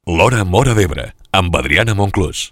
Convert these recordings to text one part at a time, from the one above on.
L'Hora Móra d'Ebre, amb Adriana Monclús.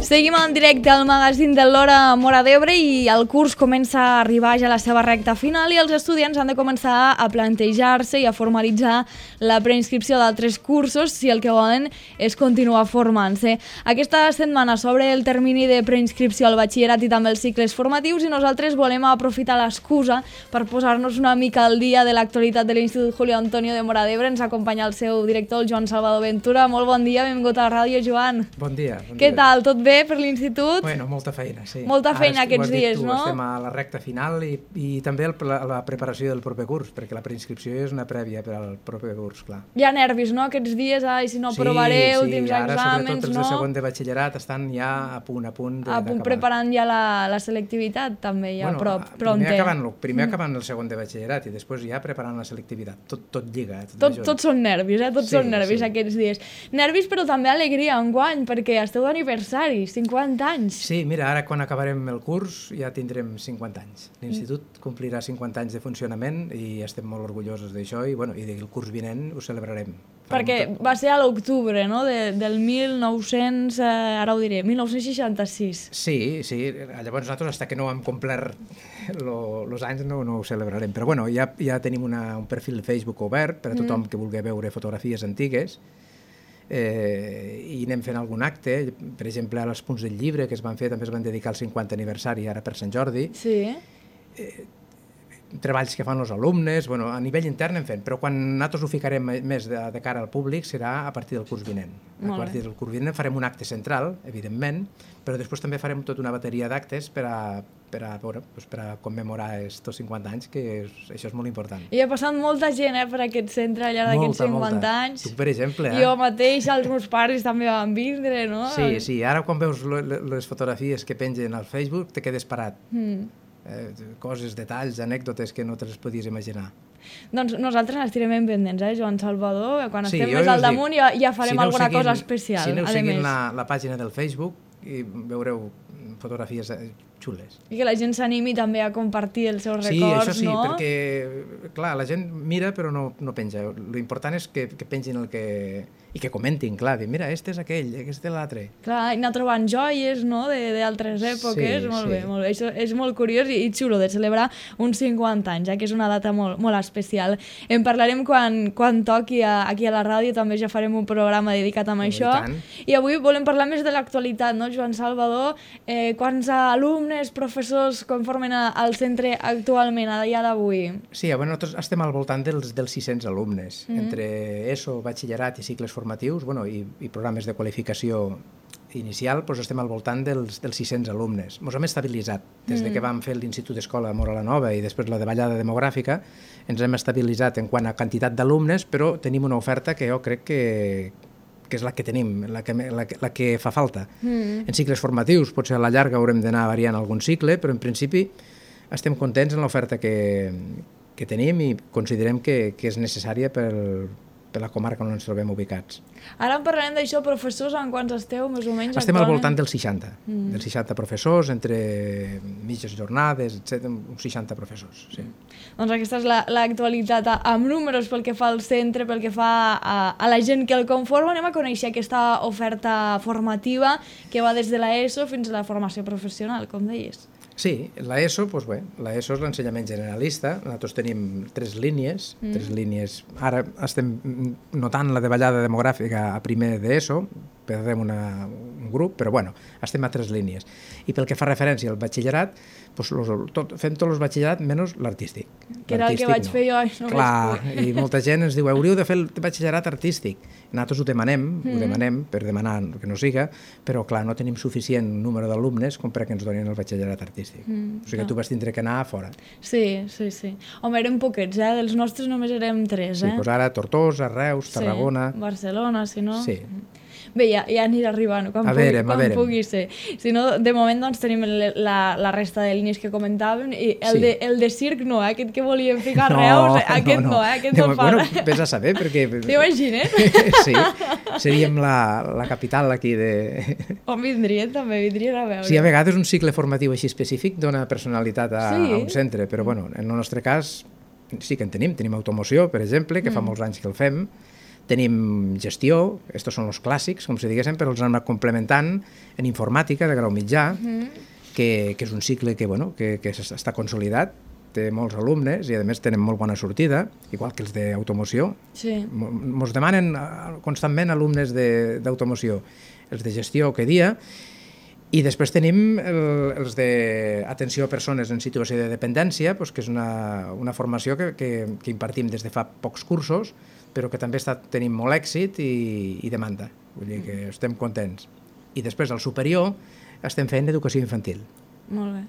Seguim en directe al magazín de l'Hora Móra d'Ebre i el curs comença a arribar ja a la seva recta final i els estudiants han de començar a plantejar-se i a formalitzar la preinscripció d'altres cursos si el que volen és continuar formant-se. Aquesta setmana s'obre el termini de preinscripció al batxillerat i també els cicles formatius i nosaltres volem aprofitar l'excusa per posar-nos una mica al dia de l'actualitat de l'Institut Julio Antonio de Móra d'Ebre. Ens acompanya el seu director, el Joan Salvador Ventura. Molt bon dia, benvingut a la ràdio, Joan. Bon dia. Què tal? Tot bé per l'institut? Bueno, molta feina, sí. Molta feina aquests dies, no? Estem a la recta final i també la preparació del proper curs, perquè la preinscripció és una prèvia per al proper curs, clar. Hi ha nervis, no?, aquests dies, ai, si no aprovareu, últims exàmens, no? Sí, ara sobretot els de segon de batxillerat estan ja a punt d'acabar. Preparant ja la selectivitat, també, ja pronter. Primer acabant el segon de batxillerat i després ja preparant la selectivitat. Tot lliga. Tots són nervis, Tots són nervis aquests dies. Nervis, però també alegria enguany, perquè esteu d'aniversari. 50 anys. Sí, mira, ara quan acabarem el curs ja tindrem 50 anys. L'Institut complirà 50 anys de funcionament i estem molt orgullosos d'això i el curs vinent ho celebrarem. Perquè va ser a l'octubre, no?, del 1966. Sí. Llavors nosaltres, fins que no hem complert els anys, no ho celebrarem. Però bueno, ja tenim un perfil de Facebook obert per a tothom que vulgui veure fotografies antigues. I anem fent algun acte, per exemple als punts del llibre que es van fer també es van dedicar al 50 aniversari ara per Sant Jordi. Sí. Treballs que fan els alumnes, a nivell intern en fent, però quan nosaltres ho ficarem més de cara al públic serà a partir del curs vinent. A partir del curs vinent farem un acte central, evidentment, però després també farem tota una bateria d'actes per a commemorar estos 50 anys, que això és molt important. I ha passat molta gent per aquest centre al llarg d'aquests 50 anys. Tu, per exemple. Jo mateix, els meus pares també van vindre, no? Sí. Ara quan veus les fotografies que pengen al Facebook te quedes parat. Coses, detalls, anècdotes que no te les podies imaginar. Doncs nosaltres n'estirem ben pendents, Joan Salvador? Quan estem més al damunt ja farem alguna cosa especial. Si aneu seguint la pàgina del Facebook i veureu fotografies xules. I que la gent s'animi també a compartir els seus records, no? Sí, això sí, perquè, clar, la gent mira però no penja. L'important és que pengin i que comentin, clar, dir, mira, este és aquell, aquest és l'altre. Clar, anar trobant joies, no?, d'altres èpoques, molt bé. Això és molt curiós i xulo de celebrar uns 50 anys, que és una data molt especial. En parlarem quan toqui aquí a la ràdio, també ja farem un programa dedicat a això. I avui volem parlar més de l'actualitat, no, Joan Salvador? Quants alumnes, professors conformen al centre actualment, a dia d'avui? Sí, nosaltres estem al voltant dels 600 alumnes, entre ESO, batxillerat i cicles formatius, i programes de qualificació inicial, estem al voltant dels 600 alumnes. Ens hem estabilitzat. Des que vam fer l'Institut d'Escola Móra la Nova i després la davallada demogràfica, ens hem estabilitzat en quant a quantitat d'alumnes, però tenim una oferta que jo crec que és la que tenim, la que fa falta. En cicles formatius, potser a la llarga haurem d'anar variant algun cicle, però en principi estem contents en l'oferta que tenim i considerem que és necessària per la comarca on ens trobem ubicats. Ara en parlarem d'això, professors, en quants esteu, més o menys? Estem al voltant dels 60, dels 60 professors, entre mitges jornades, etc., uns 60 professors, sí. Doncs aquesta és l'actualitat amb números pel que fa al centre, pel que fa a la gent que el conforma. Anem a conèixer aquesta oferta formativa que va des de l'ESO fins a la formació professional, com deies. Sí, l'ESO és l'ensenyament generalista. Nosaltres tenim tres línies. Ara estem notant la davallada demogràfica a primer d'ESO, perdrem un grup, però estem a tres línies. I pel que fa referència al batxillerat, fem tots els batxillerat menys l'artístic. Que era el que vaig fer jo. Clar, i molta gent ens diu, hauríeu de fer el batxillerat artístic. Nosaltres ho demanem per demanar que no siga, però clar, no tenim suficient número d'alumnes com perquè ens donin el batxillerat artístic. O sigui que tu vas tindre que anar a fora. Sí. Home, érem poquets, dels nostres només érem 3. Sí, ara Tortosa, Reus, Tarragona... Barcelona, si no... Sí. Bé, ja anirà arribant quan pugui ser. Si no, de moment doncs, tenim la resta de línies que comentàvem i el de circ no, aquest que volíem ficar Reus, aquest no, aquest no fa. Bueno, vés a saber, perquè... T'imagines? Sí, seríem la capital aquí de... On vindrien també, vindrien a veure. Sí, a vegades un cicle formatiu així específic dona personalitat a un centre, però bueno, en el nostre cas sí que en tenim automoció, per exemple, que fa molts anys que el fem, tenim gestió, estos són els clàssics, com si diguéssim, però els hem anat complementant en informàtica de grau mitjà, que és un cicle que està consolidat, té molts alumnes i a més tenen molt bona sortida, igual que els d'automoció. Sí. Ens demanen constantment alumnes d'automoció, els de gestió que dia, i després tenim els d'atenció a persones en situació de dependència, que és una formació que impartim des de fa pocs cursos, però que també tenim molt èxit i demanda. Vull dir que estem contents. I després, al superior, estem fent educació infantil. Molt bé.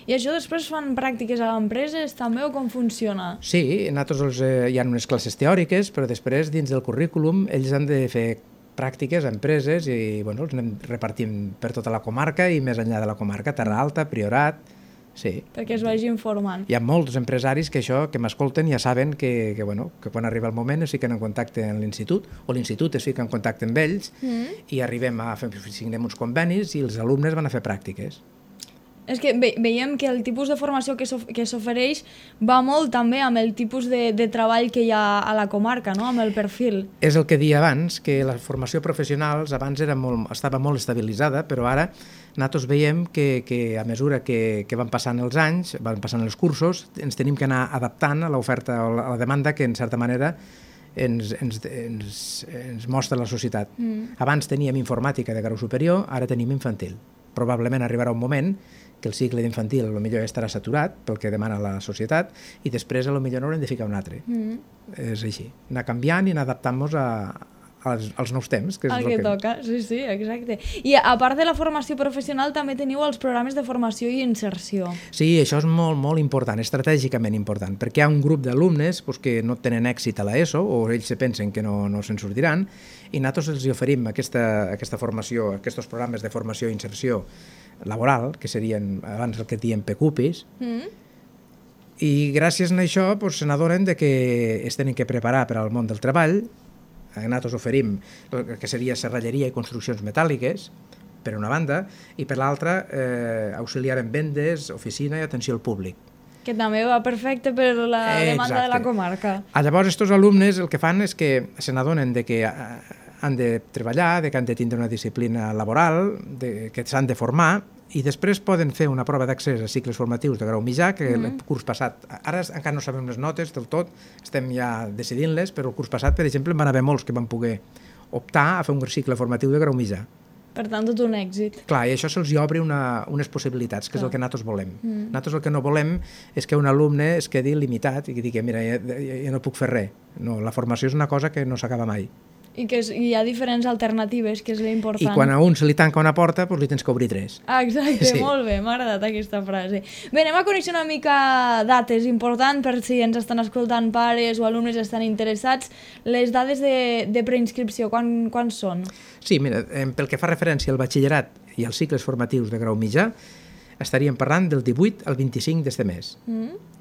I això després fan pràctiques a empreses també o com funciona? Sí, nosaltres hi ha unes classes teòriques, però després, dins del currículum, ells han de fer pràctiques a empreses i els anem repartint per tota la comarca i més enllà de la comarca, Terra Alta, Priorat, sí. Perquè es vagin formant. Hi ha molts empresaris que m'escolten ja saben que quan arriba el moment es fiquen en contacte amb l'institut o l'institut es fica en contacte amb ells i arribem a signem uns convenis i els alumnes van a fer pràctiques. És que veiem que el tipus de formació que s'ofereix va molt també amb el tipus de treball que hi ha a la comarca, no? Amb el perfil. És el que deia abans, que la formació professional abans estava molt estabilitzada, però ara nosaltres veiem que a mesura que van passant els anys, van passant els cursos, ens tenim que anar adaptant a l'oferta o a la demanda que en certa manera ens mostra la societat. Abans teníem informàtica de grau superior, ara tenim infantil. Probablement arribarà un moment que el cicle d'infantil potser estarà saturat pel que demana la societat i després potser n'haurem de ficar un altre. És així, anar canviant i anar adaptant-nos als nous temps. Que és el que toca, sí, exacte. I a part de la formació professional també teniu els programes de formació i inserció. Sí, això és molt, molt important, estratègicament important, perquè hi ha un grup d'alumnes que no tenen èxit a l'ESO o ells se pensen que no se'n sortiran i nosaltres els oferim aquesta formació, aquests programes de formació i inserció laboral, que serien abans el que diem PQPIs, i gràcies a això se n'adonen que es tenen que preparar per al món del treball. Nosaltres oferim el que seria serralleria i construccions metàl·liques, per una banda, i per l'altra auxiliar en vendes, oficina i atenció al públic. Que també va perfecte per la demanda de la comarca. Llavors, aquests alumnes el que fan és que se n'adonen que han de treballar, que han de tindre una disciplina laboral, que s'han de formar, i després poden fer una prova d'accés a cicles formatius de grau mitjà, que el curs passat, ara encara no sabem les notes del tot, estem ja decidint-les, però el curs passat, per exemple, van haver molts que van poder optar a fer un cicle formatiu de grau mitjà. Per tant, tot un èxit. Clar, i això se'ls obre unes possibilitats, que és el que nosaltres volem. Nosaltres el que no volem és que un alumne es quedi limitat i que digui, mira, ja no puc fer res. No, la formació és una cosa que no s'acaba mai. I que hi ha diferents alternatives, que és l'important. I quan a un se li tanca una porta, doncs li tens que obrir tres. Exacte, sí. Molt bé, m'ha agradat aquesta frase. Bé, anem a conèixer una mica dates importants per si ens estan escoltant pares o alumnes estan interessats. Les dades de preinscripció, quan són? Sí, mira, pel que fa referència al batxillerat i als cicles formatius de grau mitjà, estaríem parlant del 18 al 25 d'este mes.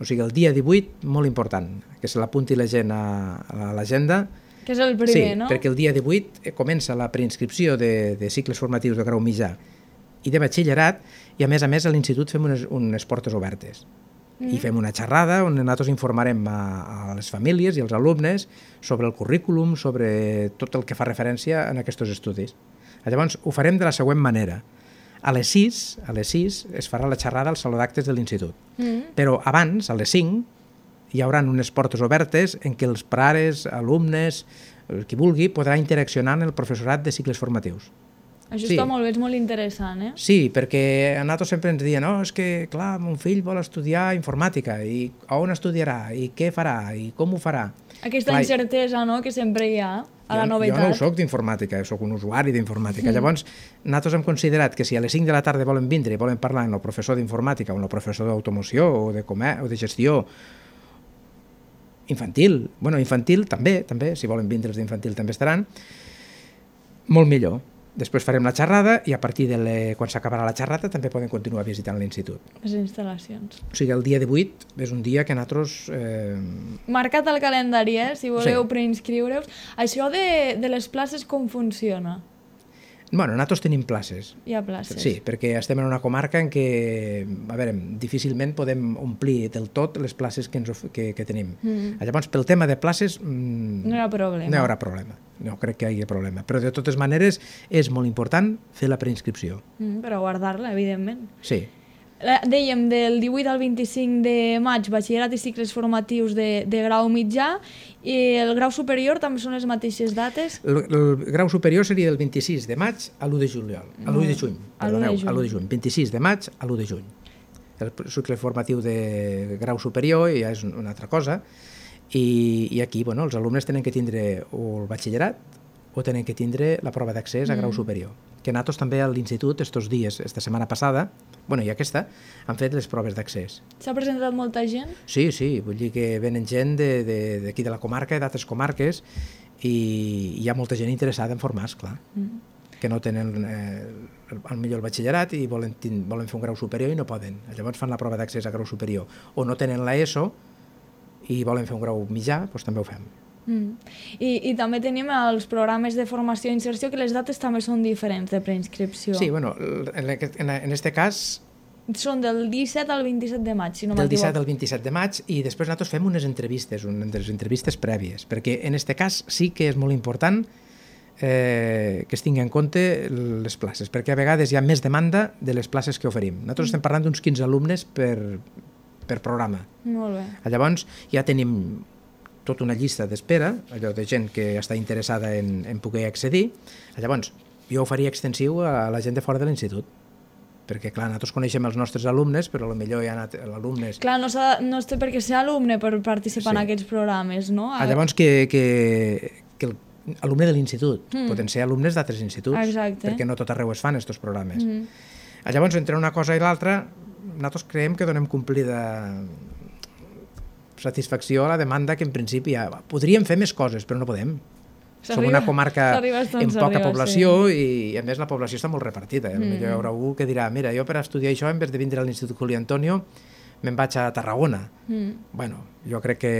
O sigui, el dia 18, molt important, que se l'apunti la gent a l'agenda. Que és el primer, no? Sí, perquè el dia 18 comença la preinscripció de cicles formatius de grau mitjà i de batxillerat i a més a l'institut fem unes portes obertes i fem una xerrada on nosaltres informarem a les famílies i als alumnes sobre el currículum, sobre tot el que fa referència a aquests estudis. Llavors ho farem de la següent manera. A les 6 es farà la xerrada al saló d'actes de l'institut, però abans, a les 5, hi haurà unes portes obertes en què els pares, alumnes, qui vulgui, podrà interaccionar amb el professorat de cicles formatius. Això està molt bé, és molt interessant, eh? Sí, perquè a nosaltres sempre ens diuen és que, clar, mon fill vol estudiar informàtica, i on estudiarà, i què farà, i com ho farà. Aquesta incertesa, no?, que sempre hi ha a la novetat. Jo no soc d'informàtica, soc un usuari d'informàtica. Llavors, nosaltres hem considerat que si a les 5 de la tarda volen vindre i volen parlar amb el professor d'informàtica o amb el professor d'automoció o de gestió infantil, bueno, infantil també, si volen vindre els d'infantil també estaran, Molt millor. Després farem la xerrada i a partir quan s'acabarà la xerrada també poden continuar visitant l'institut. Les instal·lacions. O sigui, el dia 18 és un dia que nosaltres... Marcat al calendari, si voleu preinscriure-us. Això de les places com funciona? Bueno, nosaltres tenim places. Hi ha places. Sí, perquè estem en una comarca en què, a veure, difícilment podem omplir del tot les places que tenim. Llavors, pel tema de places... No hi ha problema. No hi haurà problema. No crec que hi hagi problema. Però, de totes maneres, és molt important fer la preinscripció. Però guardar-la, evidentment. Sí. Dèiem, del 18 al 25 de maig, batxillerat i cicles formatius de grau mitjà, i el grau superior també són les mateixes dates? El grau superior seria del 26 de maig a l'1 de juliol. A l'1 de juny, perdoneu, a l'1 de juny. 26 de maig a l'1 de juny. El cicle formatiu de grau superior ja és una altra cosa, i aquí, bueno, els alumnes tenen que tindre o el batxillerat o tenen que tindre la prova d'accés a grau superior. Que nosaltres també a l'institut, estos dies, esta setmana passada, bueno, i aquesta, han fet les proves d'accés. S'ha presentat molta gent? Sí, vull dir que venen gent d'aquí de la comarca, d'altres comarques, i hi ha molta gent interessada en formar-se, clar. Que no tenen al millor el batxillerat i volen fer un grau superior i no poden. Llavors fan la prova d'accés a grau superior. O no tenen l'ESO i volen fer un grau mitjà, doncs també ho fem. I també tenim els programes de formació i inserció, que les dates també són diferents de preinscripció. Sí, bueno, en aquest cas... Són del 17 al 27 de maig, si no m'equivoco. Del 17 m'equivoco. al 27 de maig, i després nosaltres fem unes entrevistes prèvies, perquè en aquest cas sí que és molt important que es tingui en compte les places, perquè a vegades hi ha més demanda de les places que oferim. Nosaltres estem parlant d'uns 15 alumnes per programa. Molt bé. Llavors ja tenim tota una llista d'espera, allò de gent que està interessada en poder accedir. Llavors, jo ho faria extensiu a la gent de fora de l'institut, perquè, clar, nosaltres coneixem els nostres alumnes, però potser hi ha alumnes... Clar, no té per què ser alumne per participar en aquests programes, no? Llavors, que alumne de l'institut, poden ser alumnes d'altres instituts, perquè no tot arreu es fan aquests programes. Llavors, entre una cosa i l'altra, nosaltres creiem que donem complida satisfacció a la demanda, que en principi podríem fer més coses, però no podem. Som una comarca amb poca població i a més la població està molt repartida. Hi haurà algú que dirà, mira, jo per estudiar això en vez de vindre a l'Institut Juli Antonio me'n vaig a Tarragona. Bueno, jo crec que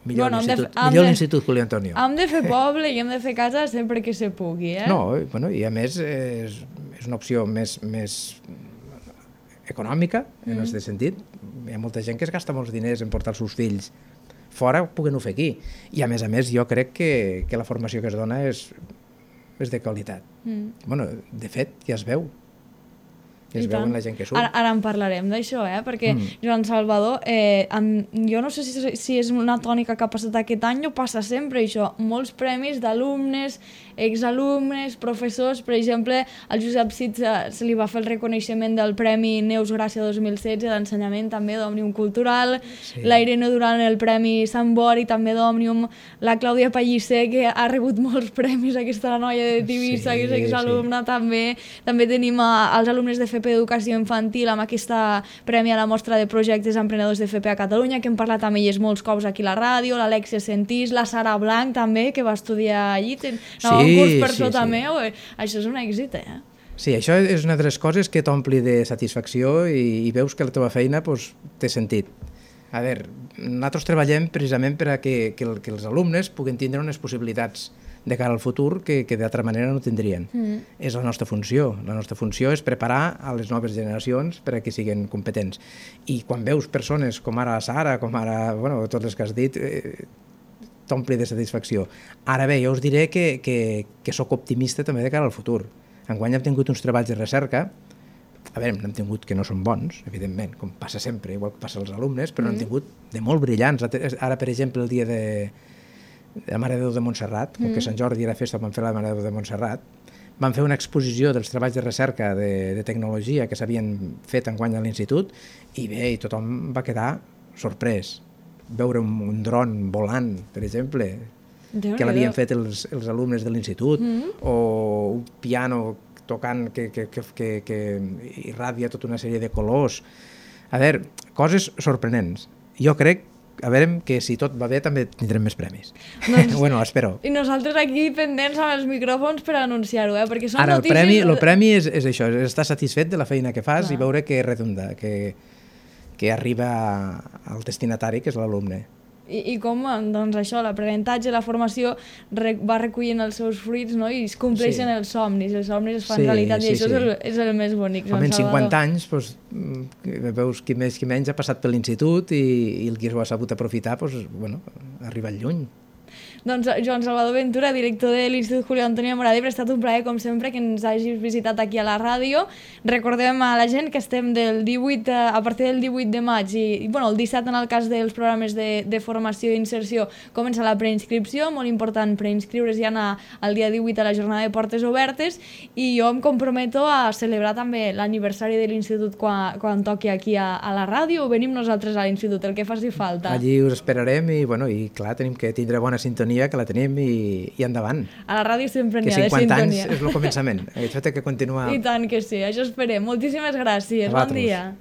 millor l'Institut Juli Antonio. Hem de fer poble i hem de fer casa sempre que se pugui, No, i a més és una opció més econòmica, en aquest sentit. Hi ha molta gent que es gasta molts diners en portar els seus fills fora, puguen-ho fer aquí. I a més, jo crec que la formació que es dona és de qualitat. Bueno, de fet, ja es veu. Es veu en la gent que surt. Ara en parlarem d'això, perquè Joan Salvador, jo no sé si és una tònica que ha passat aquest any o passa sempre això, molts premis d'alumnes, exalumnes, professors. Per exemple, al Josep Cid se li va fer el reconeixement del Premi Neus Gràcia 2016 d'ensenyament també d'Òmnium Cultural, la Irene Duran el Premi Sant Bori també d'Òmnium, la Clàudia Pellicer, que ha rebut molts premis, aquesta noia de Tivissa, que és exalumna també tenim els alumnes de FP Educació Infantil amb aquesta premi a la mostra de projectes emprenedors de FP a Catalunya, que hem parlat amb elles molts cops aquí a la ràdio, l'Alexia Sentís, la Sara Blanc també, que va estudiar allí, un curs per sota meu, això és un èxit, Sí, això és una de les coses que t'ompli de satisfacció i veus que la teva feina té sentit. A veure, nosaltres treballem precisament perquè els alumnes puguin tindre unes possibilitats de cara al futur que d'altra manera no tindrien. És la nostra funció. La nostra funció és preparar a les noves generacions perquè siguin competents. I quan veus persones com ara Sara, com ara, tots els que has dit, t'ompli de satisfacció. Ara bé, jo us diré que sóc optimista també de cara al futur. Enguany hem tingut uns treballs de recerca, a veure, n'hem tingut que no són bons, evidentment, com passa sempre, igual que passa als alumnes, però n'hem tingut de molt brillants. Ara, per exemple, el dia de la Mare de Déu de Montserrat, com que Sant Jordi era festa, van fer la Mare de Déu de Montserrat, van fer una exposició dels treballs de recerca de tecnologia que s'havien fet enguany a l'institut, i bé, tothom va quedar sorprès. Veure un dron volant, per exemple, que l'havien fet els alumnes de l'institut, o un piano tocant que irradia tota una sèrie de colors. A veure, coses sorprenents. Jo crec a veure que si tot va bé també tindrem més premis. Doncs, bueno, espero. I nosaltres aquí pendents amb els micròfons per anunciar-ho, perquè són Ara, notícies... el premi és això, és estar satisfet de la feina que fas Clar. i veure que redunda, que arriba al destinatari, que és l'alumne. I com, doncs això, l'aprenentatge, la formació va recollint els seus fruits, no? I es compleixen els somnis es fan realitat, i això és el més bonic. Home, en 50 anys, doncs, veus qui més qui menys ha passat per l'institut i el qui ho ha sabut aprofitar, doncs, bueno, ha arribat lluny. Doncs Joan Salvador Ventura, director de l'Institut Julio Antonio Mora d'Ebre, ha estat un plaer, com sempre, que ens hagis visitat aquí a la ràdio. Recordem a la gent que estem a partir del 18 de maig i bueno, el 17 en el cas dels programes de formació i inserció comença la preinscripció, molt important preinscriure's ja al dia 18 a la jornada de portes obertes, i jo em comprometo a celebrar també l'aniversari de l'Institut quan toqui aquí a la ràdio, o venim nosaltres a l'Institut, el que faci falta. Allí us esperarem i, bueno, i clar, tenim que tindre bona sintonia, que la tenim i endavant. A la ràdio sempre n'hi ha de sintonia. Que 50 sintonia. anys és el començament. Això té que continuar. I tant que sí, això esperem. Moltíssimes gràcies. Bon dia.